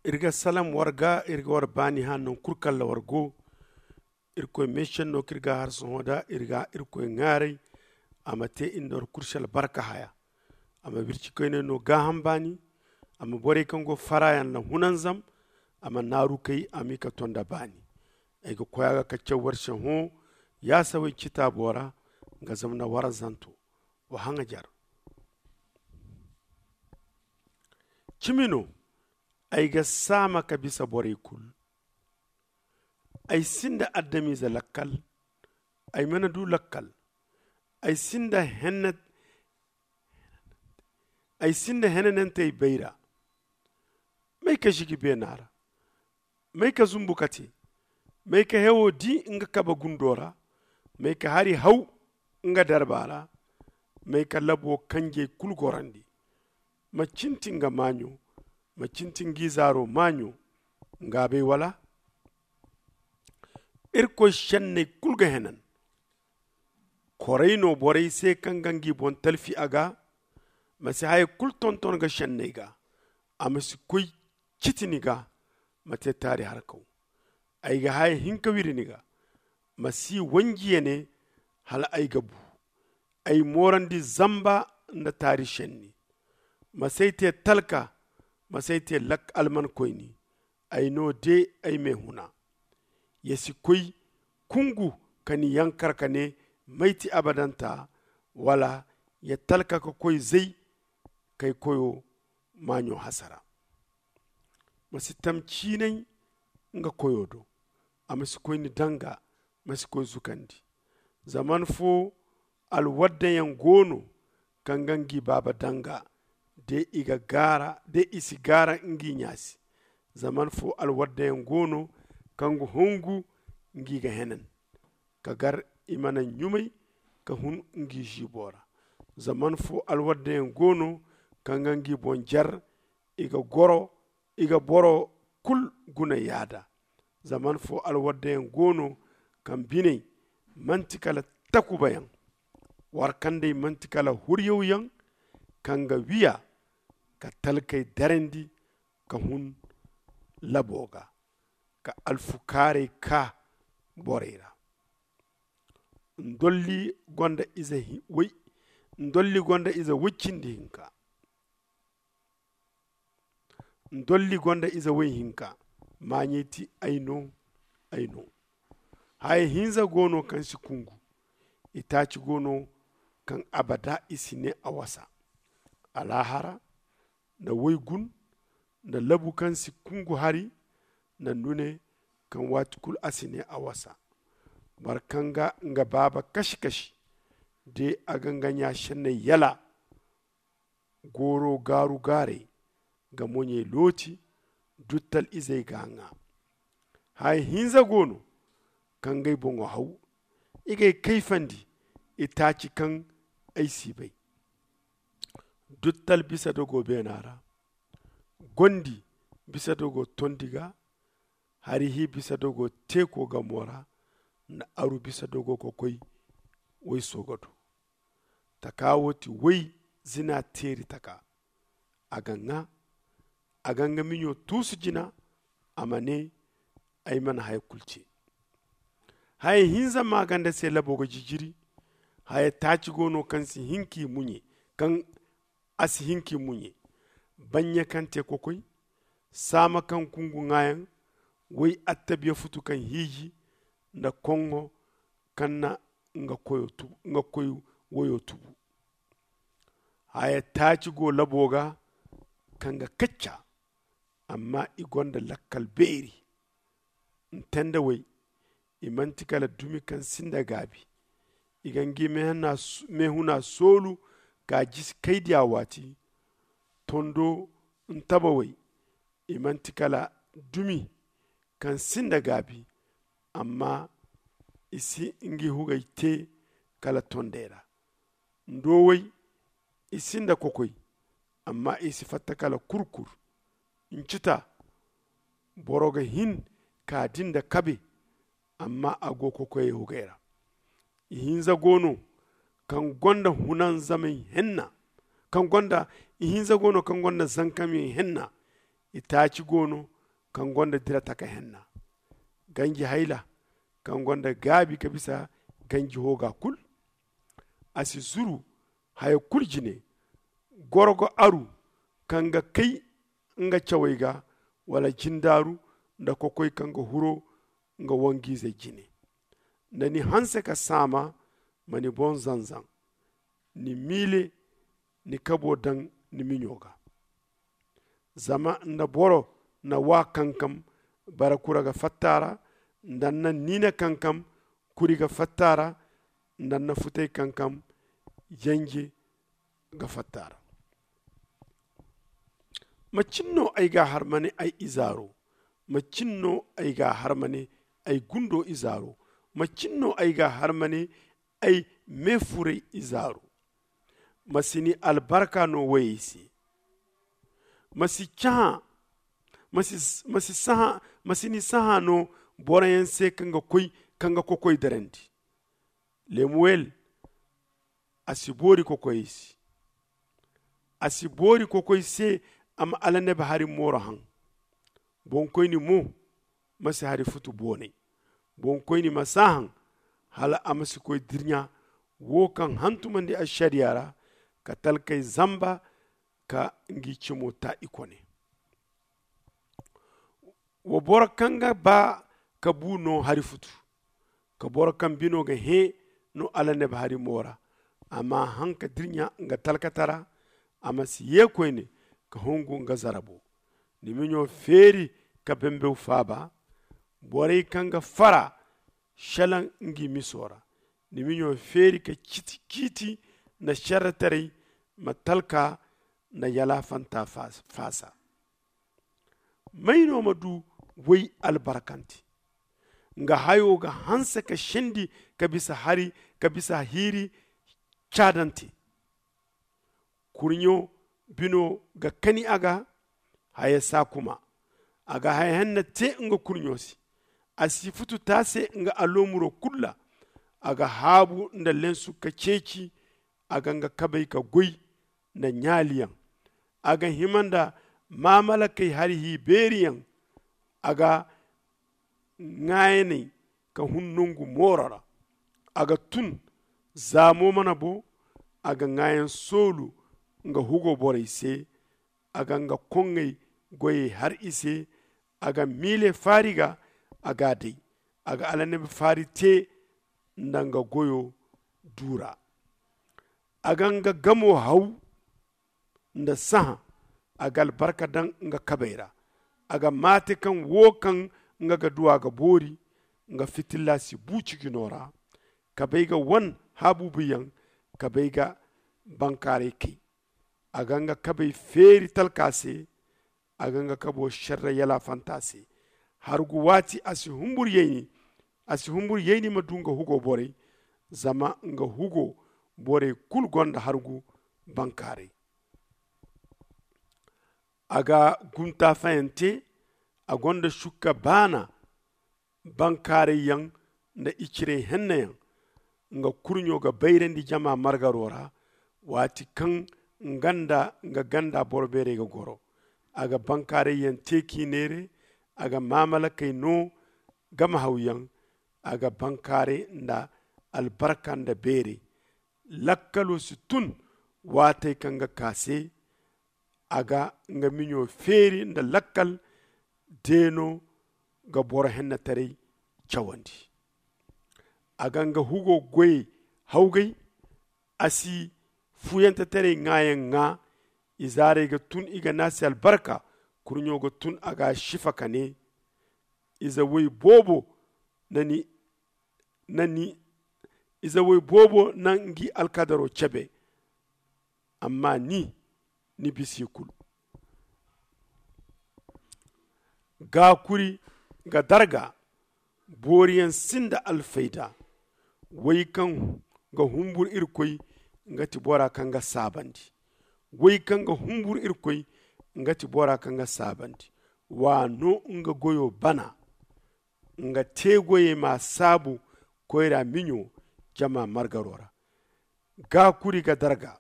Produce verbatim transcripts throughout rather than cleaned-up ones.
Iri ga salam war ga, iri ga war baani hã nangu kulu kaŋ ra war go. Irkoy meesenno kaŋ iri ga a har sohõ nd'a, iri ga irkoy ŋaaray a ma te iri nda war kulu se albarka haya. A ma bircikoyney no gaaham baani. A ma borey kaŋ go faraayaŋ ra hunanzam. A ma naarukey a m'i ka to nda baani. Ay ga koy a ga ka caw war se hõ yaasawey citaabo ra. Nga zama na war zanto wa haŋajer. Cimi no ay ga saama ka bisa borey kulu. Ay sinda adamize lakkal. Ay mana du lakkal. Ay sinda henne ay sinda henanantey bayra. May ka zigi beena ra? May ka zumbu ka te? May ka hewo di nga kabe gundo ra? May ka hari haw nga darba ra? May ka labo kanjey kulu gorandi? Ma cinti nga maaɲo? Ma cinti nga izaaro maaɲo? Nga bay wala? Irkoy senney kulu ga henan. Koray no borey se kaŋ ga ngi boŋ talfi a ga. Ma si haya kulu tonton ga senney ga. A ma si koy citi ni ga. Ma te taari harkaw. Ay ga haya hinka wiri ni ga. Ma si wanji ya ne hala ay ga bu. Ay moorandi zamba nda taari senni. Ma s'ay te talka. Ma s'ay te almankoyni. Ay no de ay me huna. Ya si koy kungu ka ni yankar ka ne may ti abadanta? Wala ya talka ka koy zay kay koyo maaɲo hasara. Ma si tam ciinay nga koyo do. A ma si koy ni danga. Ma si koy zukandi. Zaman fo alwaddayaŋ go no kaŋ ga ngi baaba danga de i ga gaara de i si gaara ngi ɲa se. Zaman fo alwaddayaŋ go no kaŋ ga hongu ngi ga henan ka gar i mana ɲumay ka hun ngi ziibo ra. Zaman fo alwaddayaŋ go no kaŋ ga ngi boŋ jer i ga goro i ga boro kulu guna yaada. Zaman fo alwaddayaŋ go no kaŋ biney manti kala takubayaŋ. War kandey manti kala huryawyaŋ kaŋ ga wiya ka talkey darandi ka hun labo ga ka alfukaarey kaa borey ra. Ndolli gonda ize way ndolli gonda ize way cindi hinka. Ndolli gonda ize way hinka. Maaɲey ti ay no. Ay no. Haya hinza go no kaŋ si kungu. Itaaci go no kaŋ abada i si ne a wasa. Alaahara nda waygun nda labu kaŋ si kungu hari nda ndune kaŋ waati kulu a si ne a wasa. Boro kaŋ ga nga baaba kasi-kasi de a ga nga ɲa senney yala. Gooro gaaru-gaarey ga moɲey looti. Duttal izey ga a ŋaa. Haya hinza go no kaŋ ga ay boŋo haw. I ga ay kayfandi itaaci kaŋ ay si bay. Duttal bisa dogo beena ra. Gondi bisa dogo tondi ga. Hari hi bisa dogo teeko gamo ra. Nda aru bisa dogo kokoy wayso ga du. Taka wo ti way zina teeri taka. A ga ŋaa a ga nga miɲo tuusu jina. A ma ne ay mana haya kulu ce. Haya hinza maaganda se labo ga jijiri. Haya taaci go no kaŋ si hin k'i muɲe kaŋ a si hin k'i muɲe. Baɲɲa kaŋ te kokoy. Saama kaŋ kungu ŋaayaŋ. Way attabiya futu kaŋ hiiji nda koŋŋo kaŋ na nga koyo tubu nga koy wayo tubu. Haya taaci go labo ga kaŋ ga kacca. Amma i gonda lakkal beeri. Nte nda way i manti kala dumi kaŋ sinda gaabi. I ga ngi meehuna soolu ka jisi kaydiya waati. Tondo ntaba way i manti kala dumi kaŋ sinda gaabi. Amma i si ngi hugey te kala tondey ra. Ndowey i sinda kokoy. Amma i si fatta kala kurkur. Ncita boro ga hin ka di nda kabe. Amma a go kokoyey hugey ra. Ihinza go no kaŋ gonda hunanzamey henna. Kaŋ gonda ihinza go no kaŋ gonda zankamey henna. Itaaci go no kaŋ gonda dira taka henna, ganji hayla kaŋ gonda gaabi ka bisa ganji hooga kul. A si zuru haya kul jine. Goro ga aru kaŋ ga kay nga cawey ga, wala jindaaru nda kokoy kaŋ ga huro nga wangiizey jine. Nda ni hanse ka saama, ma ni boŋ zanzan. Ni miile ni kabo daŋ ni miɲo ga. Zama nda boro na waa kankam, bara kura ga fatta a ra. Nda ni na niina kankam, kuri ga fatta a ra. Nda ni na futay kankam, janje ga fatta a ra. Macin no ay ga a har ma ne ay izaaro? Macin no ay ga a har ma ne ay gundo izaaro? Macin no ay ga a har ma ne ay meefuray izaaro? Ma si ni albarka no woyey se. Ma si cahã ma si ma si sahã ma si ni sahã no boroyaŋ se kaŋ ga koy kaŋ ga kokoy darandi. Lemuwel, a si boori kokoyey se. A si boori kokoy se a ma alanabi hari mooro haŋ. Boŋkoyni mo ma si hari futu boonay. Boŋkoyni ma si a haŋ hala a ma si koy dirɲa wo kaŋ hantumandi ašariya ra, ka talkey zamba ka ngi cimo ta i kone. Wa boro kaŋ ga ba ka bu no hari futu, ka boro kaŋ bino ga hẽ no alanabi hari mo ra. A ma haŋ ka dirɲa nga talkata ra. A ma si ye koyne ka hungu nga zarabo. Ni miɲo feeri ka bembew faaba. Borey kaŋ ga fara šelaŋ ngi miso ra. Ni miɲo feeri ka ciiti ciiti nda šerretaray ma talka nda yalaafanta faasa. May no ma du woy albarkante? Nga hayo ga hanse ka sendi ka bisa hari ka bisa hiiri caadante. Kurɲo bino ga kani a ga haya saakuma. A ga haya henna te nga kurɲo se. A si futu taase nga aloomuro kulu ra. A ga haabu nda lensu ka ceeci. A ga nga kabey ka goy nda ɲaaliyaŋ. A ga hima nda maamalakey hari hi beeriyaŋ. A ga ŋaayaney ka hun nangu mooro ra. A ga tun zaamo mana bo. A ga ŋaayan soolu nga hugo borey se. A ga nga koŋŋey goyey har i se. A ga miile faari ga a ga a day. A ga alanabi faari te nda nga goyo duura. A ga nga gamo haw nda sahã. A ga albarka daŋ nga kabey ra. A ga maate kaŋ wo kaŋ nga ga du a ga boori. Nga fitilla si bu cijino ra. Kabey ga wan haabuubuyaŋ. Kabey ga bankaaray kay. A ga nga kabey feeri talka se. A ga nga kabo šerre yalaafanta se. Hargu waati a si humbur yayni. A si humbur yayni ma du nga hugo borey. Zama nga hugo borey kulu gonda hargu bankaaray. A ga gumtaafayante. A gonda sukka baana. Bankaarayyaŋ nda iciray hennayaŋ. Nga kurɲo ga bayrandi jama margaro ra. Waati kaŋ nga nda nga ganda boro beerey ga goro. A ga bankaarayyaŋ te k'i neere. A ga maamalakey no. Gamahawyaŋ. A ga bankaaray nda albarka nda beeray. Lakkalo si tun waatey kaŋ ga ka se. A ga nga miɲo feeri nda lakkal. Deeno ga boro hennetaray cawandi. A ga nga hugo goyey hawgay. A si fuyanteteray ŋaayaŋ ŋaa. Izaarey ga tun i ga ne a se albarka. Kurɲo ga tun a ga a sifa ka ne, ize woy boobo na ni na ni ize woy boobo na ngi alkadaro cebe. Amma ni ni bisa i kulu. Gaakuri ga darga. Booriyaŋ sinda alfayda. Woy kaŋ ga humbur irkoy nga ti bora kaŋ ga saabandi. Woy kaŋ ga humbur irkoy nga ti bora kaŋ ga saabandi. Wa no nga goyo bana. Nga teegoyey ma saabu koyra miɲo jama margaro ra. Gaakuri ga darga.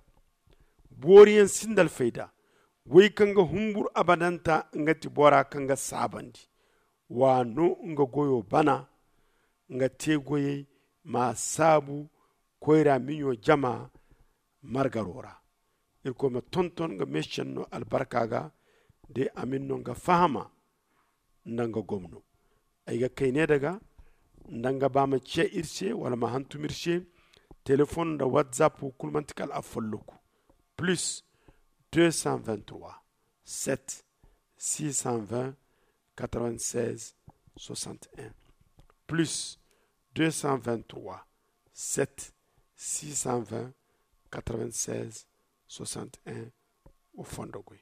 Booriyaŋ sinda alfayda. Wey kaŋ ga humbur abadanta nga ti bora kaŋ ga saabandi. Wa no nga goyo bana nga te goyey ma saabu koyra miɲo jama margaro ra. Irkoy ma tonton nga meesenno albarka ga de a ma ni no nga fahama nda nga gomno. Ay ga kay ne daga nda nga ba ma ce iri se wala ma hantum iri se. Telefon nda whatsapp wo kulu manti kala a folloku plus deux cent vingt trois sept six cent vingt quatre vingt seize soixante et un plus deux cent vingt trois sept six cent vingt quatre vingt seize soixante et un. Wo fondo goy.